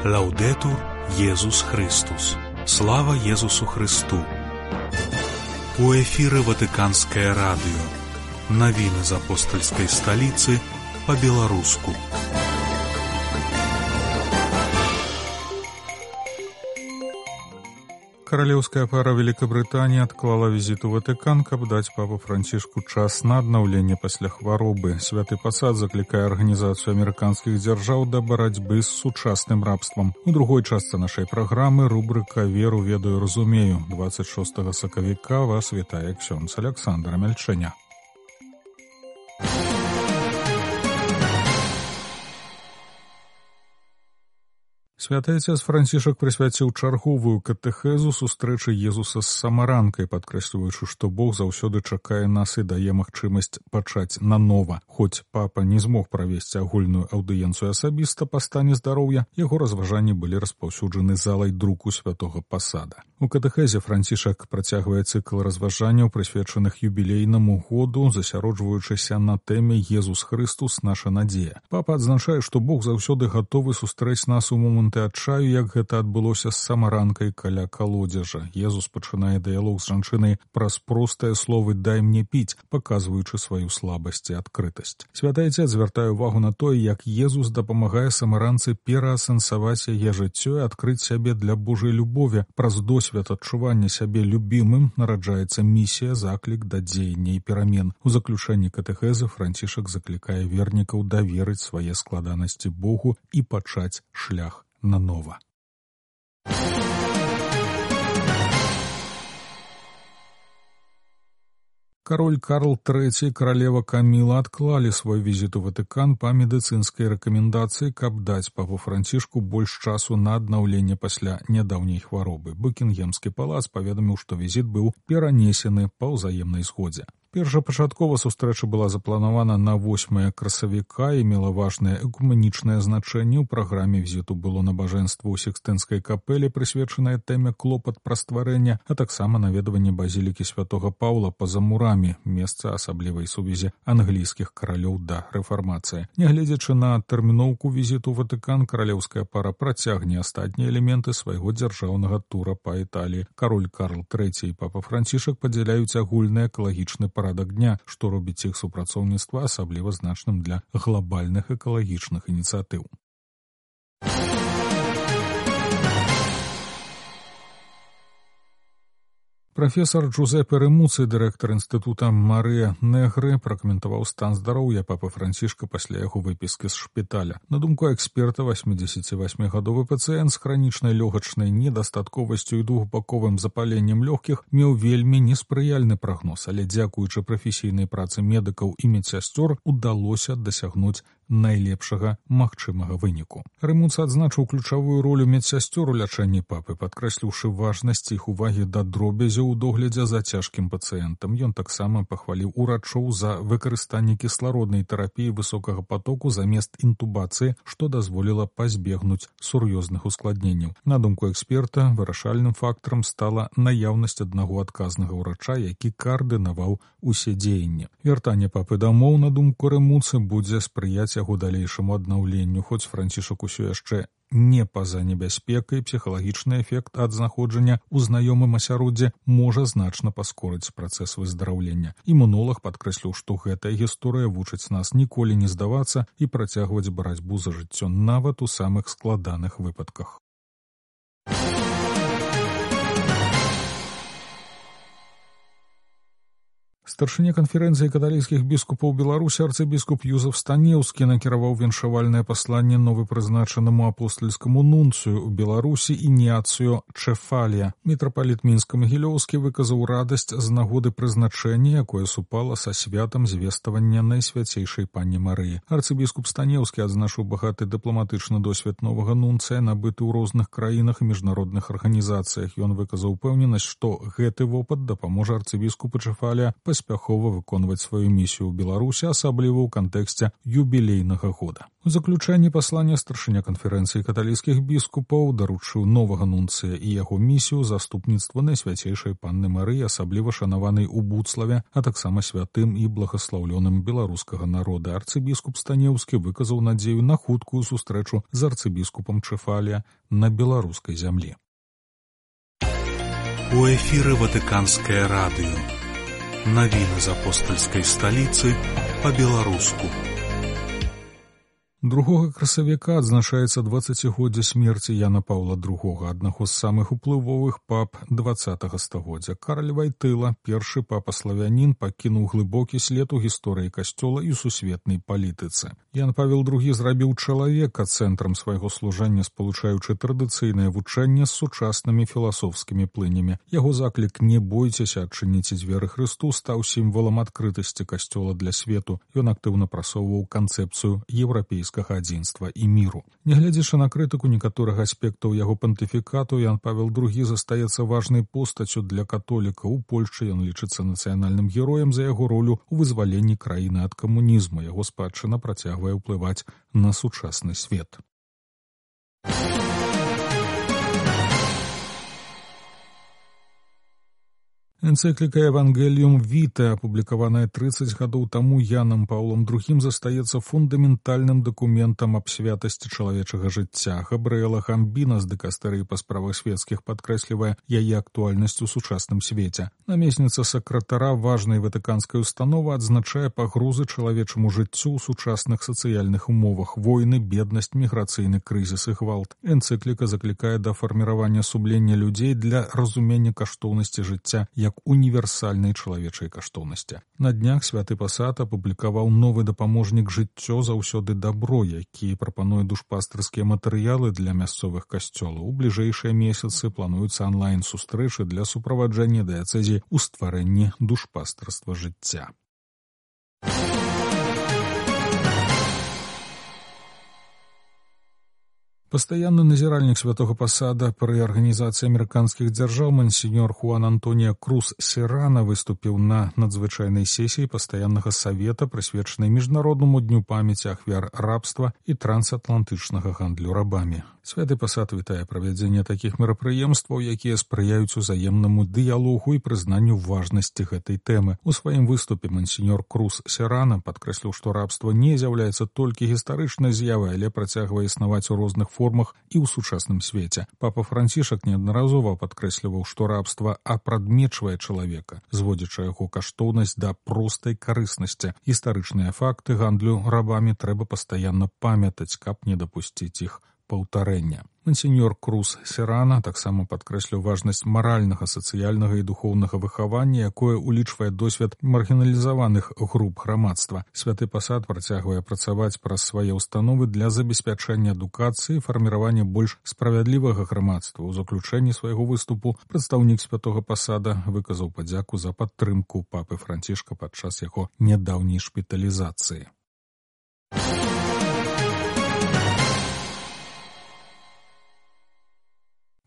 Лаўдэтур Езус Христус. Слава Езусу Христу. У эфіры Ватыканскае радыё. Навіны з апостальскай сталіцы па-беларуску. Каралеўская пара Великабрытаніі адклала візіт у Ватыкан, каб даць папу Францішку час на аднаўленне пасля хваробы. Святы пасад заклікае арганізацыю амерыканскіх дзяржаў да барацьбы з сучасным рабствам. У другой частцы нашай праграмы рубрыка «Веру, ведаю, разумею». 26 сакавіка вас вітае ксёндз Аляксандр Амельчэня. Святы Отец Францішак прысвяціў чарговую катэхезу сустрэчы Езуса з самаранкай, падкрэсліваючы, што Бог заўсёды чакае нас і дае магчымасць пачаць нанова. Хоць папа не змог правесці агульную аўдыенцыю асабіста па стане здароўя, яго разважанні былі распаўсюджаны залай друку святога пасада. У катэхезе Францішак працягвае цыкл разважанняў, прысвечаных юбілейнаму году, засяроджваючыся на тэме «Езус Христус, наша надзея». Папа адзначае, што Бог заўсёды гатовы сустрэць нас у моманты адчаю, як гэта адбылося з самаранкай каля калодзежа. Езус пачынае дыялог з жанчынай праз простыя словы «дай мне піць», паказваючы сваю слабасць і адкрытасць. Святы Отец звяртае ўвагу на тое, як Езус дапамагае самаранцы пераасэнсаваць яе жыццё і адкрыць сябе для Божай любові. Праз досвед адчування сябе любімым нараджаецца місія, заклік да дзеяння і перамен. У заключэнні катэхезы Францішак заклікае вернікаў даверыць свае складанасці Богу і пачаць шлях нанова. Кароль Карл III і каралева Каміла адклалі свой візіт у Ватыкан па медыцынскай рэкамендацыі, каб даць папу Францішку больш часу на аднаўленне пасля нядаўняй хваробы. Букінгемскі палац паведаміў, што візіт быў перанесены па ўзаемнай згодзе. Першапачаткова сустрэча была запланавана на 8 красавіка і мела важнае экумэнічнае значэнне. У праграме візіту было набажэнства ў Сікстынскай капэлі, прысвечанае тэме клопат пра стварэнне, а таксама наведванне базілікі святога Паўла па-за мурамі, месца асаблівай сувязі англійскіх каралёў да рэфармацыі. Нягледзячы на тэрміноўку візіту ў Ватыкан, каралеўская пара працягне астатнія элементы свайго дзяржаўнага тура па Італіі. Кароль Карл III і папа Францішак падзяляюць агульны экалагічны парадак дня, што робіць іх супрацоўніцтва асабліва значным для глобальных экалагічных ініцыятыў. Прафесар Джузепе Рэмуци, дырэктар інстытута Марыя Негры, пракаментаваў стан здароўя папы Францішка пасля яго выпіскі з шпіталя. На думку эксперта, 88-гадовы пацыент з хранічнай лёгачнай недастатковасцю і двухбаковым запаленнем лёгкіх меў вельмі неспрыяльны прагноз, але дзякуючы прафесійнай працы медыкаў і медсясцёр удалося дасягнуць найлепшага магчымага выніку. Рэмуци адзначыў ключавую ролю медсясцёр у лячэнні папы, падкрэсліўшы важнасць іх увагі да дробязяў у доглядзе за цяжкім пацыентам. Ён таксама пахваліў урачоў за выкарыстанне кіслароднай тэрапіі высокага потоку замест інтубацыі, што дазволіла пазбегнуць сур'ёзных ускладненняў. На думку эксперта, вырашальным фактарам стала наяўнасць аднаго адказнага ўрача, які каардынаваў усе дзеянні. Вяртанне папы дамоў, на думку Рэмуци, будзе спрыяць яго далейшаму аднаўленню, хоць Францішак усё яшчэ не па-за небяспекай, псіхалагічны эфект ад знаходжання ў знаёмым асяроддзі можа значна паскорыць працэс выздараўлення. Імунолаг падкрэсліў, што гэтая гісторыя вучыць нас ніколі не здавацца і працягваць барацьбу за жыццё нават у самых складаных выпадках. Старшыня канферэнцыі каталіцкіх біскупаў Беларусі арцыбіскуп Юзеф Станеўскі накіраваў віншавальнае пасланне новапрызначанаму апостальскаму нунцыю ў Беларусі Ініацыё Чэфалія. Мітрапаліт Мінска-Магілёўскі выказаў радасць з нагоды прызначэння, якое супала са святам звеставання Найсвяцейшай Панні Марыі. Арцыбіскуп Станеўскі адзначыў багаты дыпламатычны досвед новага нунцыя, набыты ў розных краінах і міжнародных арганізацыях. Ён выказаў упэўненасць, што гэты вопыт дапаможа арцыбіскупу Чэфалія паспяховаць паспяхова выконваць сваю місію ў Беларусі, асабліва ў кантэксце юбілейнага года. У заключэнні паслання старшыня канферэнцыі каталіцкіх біскупаў даручыў новага нунцыя і яго місію заступніцтва Найсвяцейшай Панны Марыі, асабліва шанаванай у Буцлаве, а таксама святым і благаслаўлёным беларускага народа. Арцыбіскуп Станеўскі выказаў надзею на хуткую сустрэчу з арцыбіскупам Чэфалія на беларускай зямлі. У эфіры Ватыканскае радыё. Навіны з апостальскай сталіцы па-беларуску. 2 красавіка адзначаецца 20годдзе смерці Яна Паўла II, аднаго з самых уплывовых пап 20 стагоддзя. Карль Вайтыла, першы папа-славянін, пакінуў глыбокі след у гісторыі касцёла і сусветнай палітыцы. Ян Павел II зрабіў чалавека цэнтрам свайго служэння, спалучаючы традыцыйнае вучэнне з сучаснымі філасофскімі плынямі. Яго заклік «Не бойцеся, адчыніце дзверы Хрысту» стаў сімвалам адкрытасці касцёла для свету. Ён актыўна прасоўваў канцэпцыю еўрапейскага адзінства і міру. Нягледзячы на крытыку некаторых аспектаў яго пантыфікату, Ян Павел II застаецца важнай постаццю для католікаў. У Польшчы ён лічыцца нацыянальным героем за яго ролю ў вызваленні краіны ад камунізму. Яго спадчына працягвае ўплываць на сучасны свет. Энцыкліка «Евангеліум Вітэ», апублікаваная 30 гадоў таму Янам Паўлом II, застаецца фундаментальным дакументам аб святасці чалавечага жыцця. Габрыэла Гамбіна з дыкастэрыі па справах светскіх падкрэслівае яе актуальнасць у сучасным свеце. Намесніца сакратара важнай ватыканскай установы адзначае пагрозы чалавечаму жыццю ў сучасных сацыяльных умовах: войны, беднасць, міграцыйны крызіс і гвалт. Энцыкліка заклікае да фарміравання сумлення людзей для разумення каштоўнасці жыцця як універсальнай чалавечай каштоўнасці. На днях святы пасад апублікаваў новы дапаможнік «Жыццё заўсёды дабро», які прапануе душпастырскія матэрыялы для мясцовых касцёлаў. У бліжэйшыя месяцы плануюцца онлайн-сустрэчы для суправаджэння дыяцэзій у стварэнні душпастырства жыцця. Пастаянны назіральнік святога пасада пры арганізацыі амерыканскіх дзяржаў мансіньор Хуан Антоніа Круз Серана выступіў на надзвычайнай сесіі пастаяннага савета, прысвечанай міжнароднаму дню памяці ахвяр рабства і трансатлантычнага гандлю рабамі. Святы пасад вітае правядзенне такіх мерапрыемстваў, якія спрыяюць узаемнаму дыялогу і прызнанню важнасці гэтай тэмы. У сваім выступе мансіньор Круз Серана падкрэсліў, што рабства не з'яўляецца толькі гістарычнай з'явай, але працягвае існаваць у розных формах і ў сучасным свеце. Папа Францішак неаднаразова падкрэсліваў, што рабства апрадмечвае чалавека, зводзячы яго каштоўнасць да простай карыснасці. Гістарычныя факты гандлю рабамі трэба пастаянна памятаць, каб не дапусціць іх паўтарэння. Мансіньор Круз Серана таксама падкрэсліў важнасць маральнага, сацыяльнага і духоўнага выхавання, якое улічвае досвед маргіналізаваных груп грамадства. Святы пасад працягвае працаваць праз свае ўстановы для забеспячэння адукацыі і фарміравання больш справядлівага грамадства. У заключэнні свайго выступу прадстаўнік святога пасада выказаў падзяку за падтрымку папы Францішка падчас яго нядаўняй шпіталізацыі.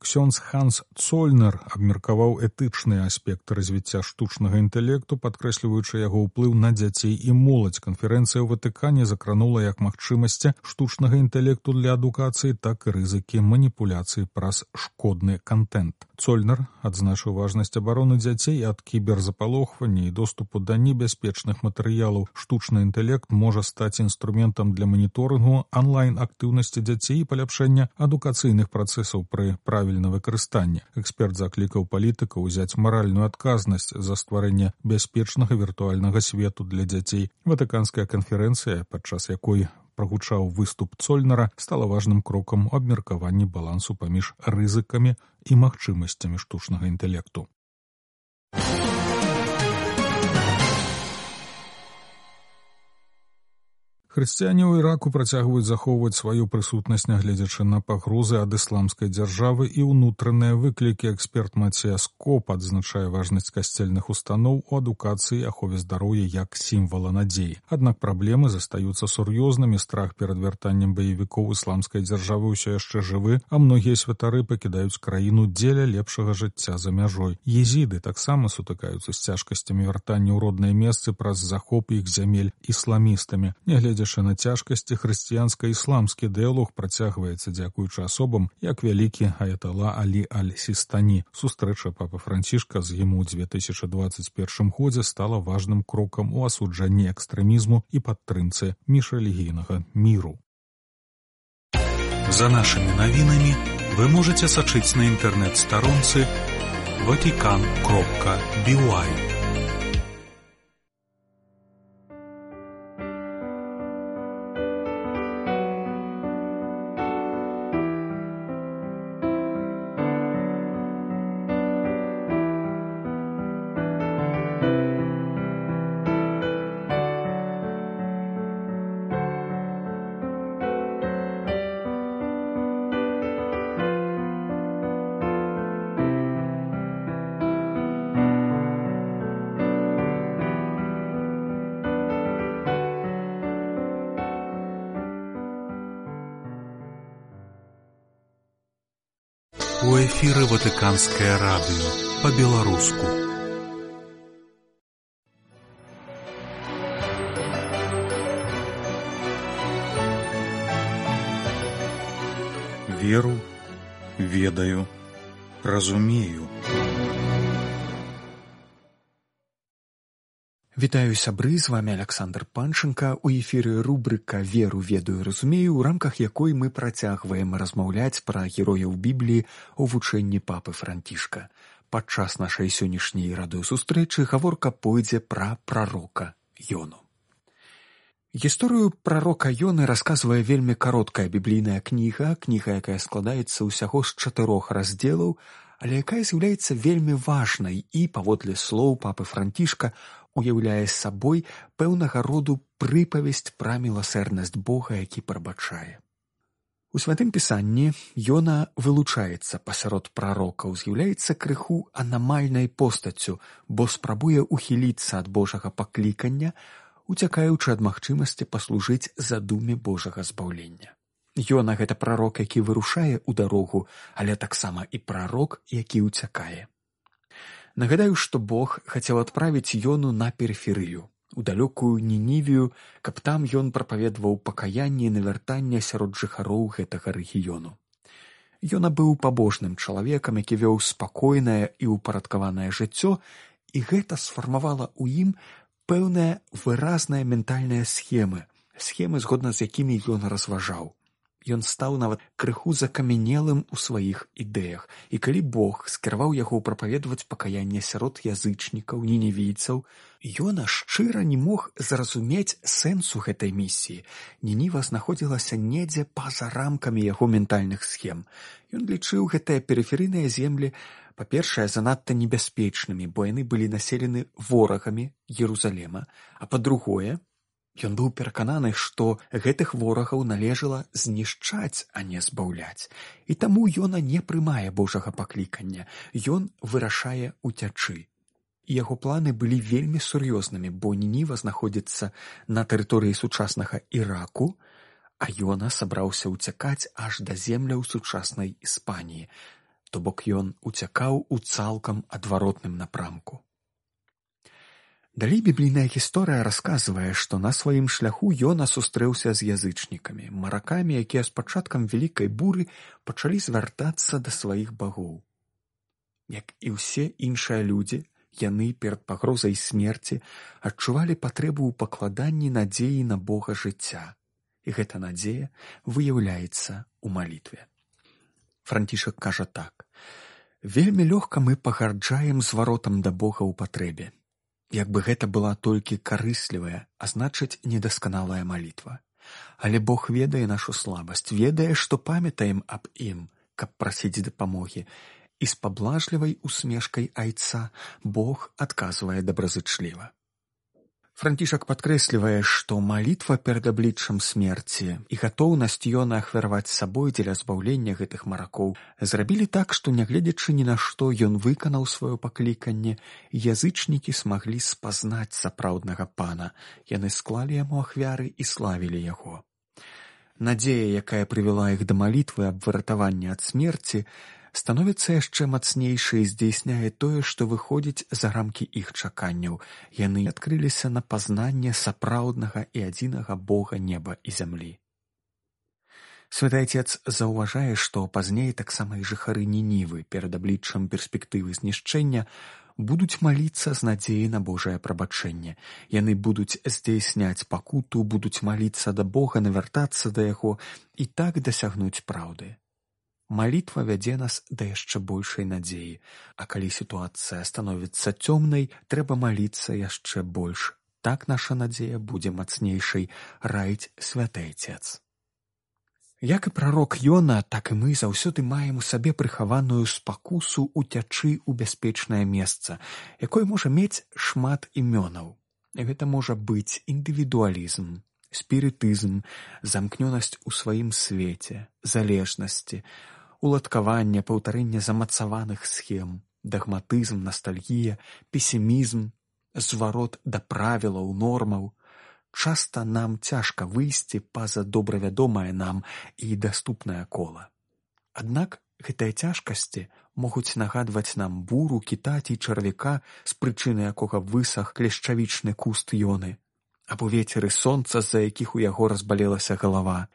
Ксёндз Ханс Цольнер абмеркаваў этычныя аспекты развіцця штучнага інтэлекту, падкрэсліваючы яго ўплыў на дзяцей і моладзь. Канферэнцыя ў Ватыкане закранула як магчымасці штучнага інтэлекту для адукацыі, так і рызыкі маніпуляцыі праз шкодны кантэнт. Цольнер адзначыў важнасць абароны дзяцей ад кіберзапалохвання і доступу да небяспечных матэрыялаў. Штучны інтэлект можа стаць інструментам для маніторынгу онлайн-актыўнасці дзяцей і паляпшэння адукацыйных працэсаў пры правільным выкарыстанні. Эксперт заклікаў палітыкаў узяць маральную адказнасць за стварэнне бяспечнага віртуальнага свету для дзяцей. Ватыканская канферэнцыя, падчас якой прагучаў выступ Цольнера, стала важным крокам у абмеркаванні балансу паміж рызыкамі і магчымасцямі штучнага інтэлекту. Хрысціяне ў Іраку працягваюць захоўваць сваю прысутнасць, нягледзячы на пагрозы ад ісламскай дзяржавы і ўнутраныя выклікі. Эксперт Мацеяс Коп адзначае важнасць касцельных устаноў у адукацыі і ахове здароўя як сімвала надзеі. Аднак праблемы застаюцца сур'ёзнымі. Страх перад вяртаннем баевікоў ісламскай дзяржавы ўсё яшчэ жывы, а многія святары пакідаюць краіну дзеля лепшага жыцця за мяжой. Езіды таксама сутыкаюцца з цяжкасцямі вяртання ў родныя месцы праз захоп іх зямель ісламістамі. Нягледзячы на цяжкасці, хрысціянска-ісламскі дыялог працягваецца дзякуючы асобам, як вялікі аятала Алі аль-Сістані. Сустрэча папы Францішка з ім у 2021 годзе стала важным крокам у асуджанні экстрэмізму і падтрымцы міжрэлігійнага міру. За нашими навінамі вы можете сачыць на інтэрнэт-старонцы vatican.by. У эфіры Ватыканскае радыё па-беларуску. Веру, ведаю, разумею. Вітаю, сябры, з вами Александр Панченко. У эфіры рубрыка «Веру, ведаю, разумею», у рамках якой мы працягваем размаўляць пра герояў Бібліі у вучэнні папы Францішка. Падчас нашай сённяшняй радыёсустрэчы гаворка пойдзе пра прарока Ёну. Гісторыю прарока Ёны расказвае вельмі кароткая біблійная кніга, якая складаецца ўсяго з 4 раздзелаў, але якая з'яўляецца вельмі важнай і, паводле слоў папы Францішка, уяўляе сабой пэўнага роду прыпавесць пра міласэрнасць Бога, які прабачае. У святым пісанні Ёна вылучаецца пасярод прарокаў, з'яўляецца крыху анамальнай постаццю, бо спрабуе ухіліцца ад Божага паклікання, уцякаючы ад магчымасці паслужыць задуме Божага збаўлення. Ёна — гэта прарок, які вырушае ў дарогу, але таксама і прарок, які ўцякае. Нагадаю, што Бог хацеў адправіць Ёну на перыферыю, у далёкую Нінівію, каб там ён прапаведваў пакаянне і навяртанне сярод жыхароў гэтага рэгіёну. Ёна быў пабожным чалавекам, які вёў спакойнае і ўпарадкаванае жыццё, і гэта сфармавала ў ім пэўныя выразныя ментальныя схемы, згодна з якімі ён разважаў. Ён стаў нават крыху закамянелым у сваіх ідэях, і калі Бог скіраваў яго прапаведваць пакаянне сярод язычнікаў, нінівійцаў, Ёна шчыра не мог зразумець сэнсу гэтай місіі. Нініва знаходзілася недзе па-за рамкамі яго ментальных схем. Ён лічыў гэтыя перыферыйныя землі, па-першае, занадта небяспечнымі, бо яны былі населены ворагамі Єрусалема, а па-другое, ён быў перакананы, што гэтых ворагаў належала знішчаць, а не збаўляць. І таму Ёна не прымае Божага паклікання. Ён вырашае уцячы. І яго планы былі вельмі сур'ёзнымі, бо Нініва знаходзіцца на тэрыторыі сучаснага Іраку, а Ёна сабраўся ўцякаць аж да земляў сучаснай Іспаніі. То бок ён уцякаў у цалкам адваротным напрамку. Далей біблійная гісторыя расказвае, што на сваім шляху Ёна сустрэўся з язычнікамі, маракамі, якія з пачаткам вялікай буры пачалі звяртацца да сваіх багоў. Як і ўсе іншыя людзі, яны перад пагрозай смерці адчувалі патрэбу ў пакладанні надзеі на Бога жыцця, і гэта надзея выяўляецца ў малітве. Францішак кажа так: «Вельмі лёгка мы пагарджаем зваротам да Бога ў патрэбе. Як бы гэта была толькі карыслівая, а значыць недасканалая малітва. Але Бог ведае нашу слабасць, ведае, што памятаем аб ім, каб прасіць дапамогі, і з паблажлівай усмешкай айца Бог адказвае добразычліва». Францішак падкрэслівае, што малітва перад абліччам смерці і гатоўнасць Ёна ахвяраваць сабой дзеля збаўлення гэтых маракоў зрабілі так, што, нягледзячы ні на што, ён выканаў сваё пакліканне, язычнікі смаглі спазнаць сапраўднага пана. Яны склалі яму ахвяры і славілі яго. Надзея, якая прывяла іх да малітвы аб выратаванні ад смерці, становіцца яшчэ здзейсняе і здзейсняе тое, што выходзіць за рамкі іх чаканняў. Яны адкрыліся на пазнанне сапраўднага і адзінага Бога неба і зямлі. Святы Отец заўважае, што пазней таксама і жыхары Нінівы перад абліччам перспектывы знішчэння будуць маліцца з надзеяй на Божае прабачэнне. Яны будуць здзейсняць пакуту, будуць маліцца да Бога, навяртацца да Яго і так дасягнуць праўды. Малітва вядзе нас да яшчэ большай надзеі, а калі сітуацыя становіцца цёмнай, трэба маліцца яшчэ больш. Так наша надзея будзе мацнейшай, раіць Святы Отец. Як і прарок Ёна, так і мы заўсёды маем у сабе прыхаваную спакусу уцячы ў бяспечнае месца, якое можа мець шмат імёнаў. Гэта можа быць індывідуалізм, спірытызм, замкнёнасць у сваім свеце, залежнасці, уладкаванне, паўтарэнне замацаваных схем, дагматызм, настальгія, песімізм, зварот да правілаў, нормаў. Часта нам цяжка выйсці па-за добра вядомае нам і даступнае кола. Аднак гэтыя цяжкасці могуць нагадваць нам буру, кіта ці чарвяка, з прычыны якога высах клешчавічны куст Ёны, або вецер і сонца, з-за якіх у яго разбалелася галава.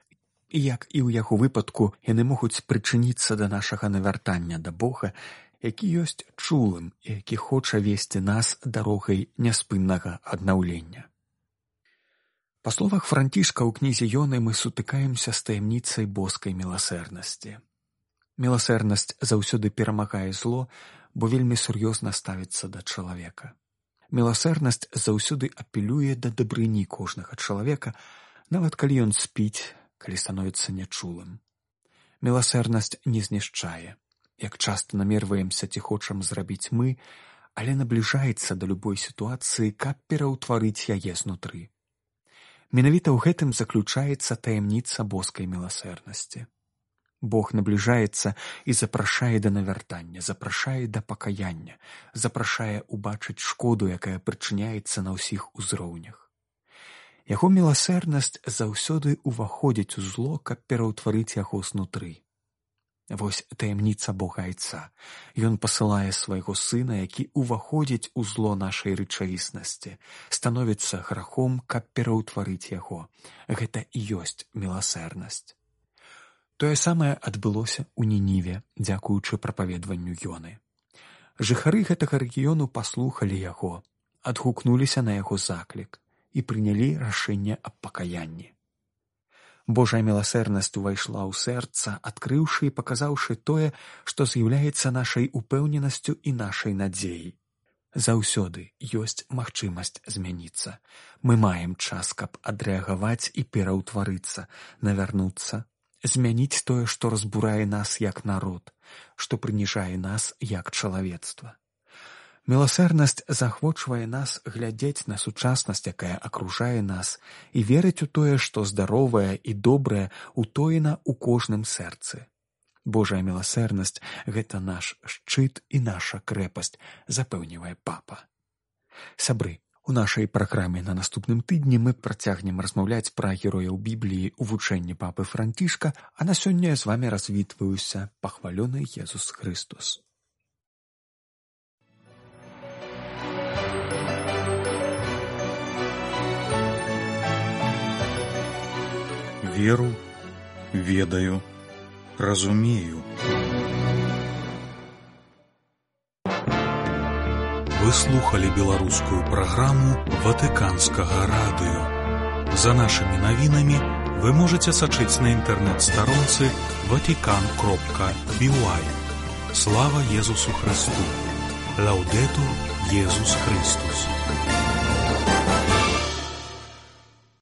І як і ў яго выпадку, яны могуць прычыніцца да нашага навяртання да Бога, які ёсць чулым і які хоча весці нас дарогай няспыннага аднаўлення. Па словах Францішка ў кнізе Ёны мы сутыкаемся з таямніцай боскай міласэрнасці. Міласэрнасць заўсёды перамагае зло, бо вельмі сур'ёзна ставіцца да чалавека. Міласэрнасць заўсёды апелюе да дабрыні кожнага чалавека, нават калі ён спіць, калі становіцца нячулым. Міласэрнасць не знішчае. Як часта намерваемся ці хочам зрабіць мы, але набліжаецца да любой сітуацыі, каб пераўтварыць яе знутры. Менавіта ў гэтым заключаецца таямніца боскай міласэрнасці. Бог набліжаецца і запрашае да навяртання, запрашае да пакаяння, запрашае убачыць шкоду, якая прычыняецца на ўсіх узроўнях. Яго міласэрнасць заўсёды ўваходзіць у зло, каб пераўтварыць яго знутры. Вось таямніца Бога Айца. Ён пасылае свайго Сына, які ўваходзіць у зло нашай рэчаіснасці, становіцца грахом, каб пераўтварыць яго. Гэта і ёсць міласэрнасць. Тое самае адбылося ў Нініве, дзякуючы прапаведванню Ёны. Жыхары гэтага рэгіёну паслухалі яго, адгукнуліся на яго заклік і прынялі рашэнне аб пакаянні. Божая міласэрнасць увайшла ў сэрца, адкрыўшы і паказаўшы тое, што з'яўляецца нашай упэўненасцю і нашай надзеяй. Заўсёды ёсць магчымасць змяніцца. Мы маем час, каб адрэагаваць і пераўтварыцца, навярнуцца, змяніць тое, што разбурае нас як народ, што прыніжае нас як чалавецтва. Міласэрнасць заахвочвае нас глядзець на сучаснасць, якая акружае нас, і верыць у тое, што здаровае і добрае утоена ў кожным сэрцы. Божая міласэрнасць – гэта наш шчыт і наша крэпасць, запэўнівае папа. Сябры, у нашай праграме на наступным тыдні мы працягнем размаўляць пра герояў Бібліі ў вучэнні папы Францішка, а на сёння я з вамі развітваюся. Пахвалёны Езус Христос. Веру, ведаю, разумею. Вы слухали беларускую праграму Ватыканскага радыё. За нашымі навінамі вы можаце сачыць на інтэрнэт-старонцы vatican.by. Слава Езусу Христу! Лаўдэтур Езус Христос!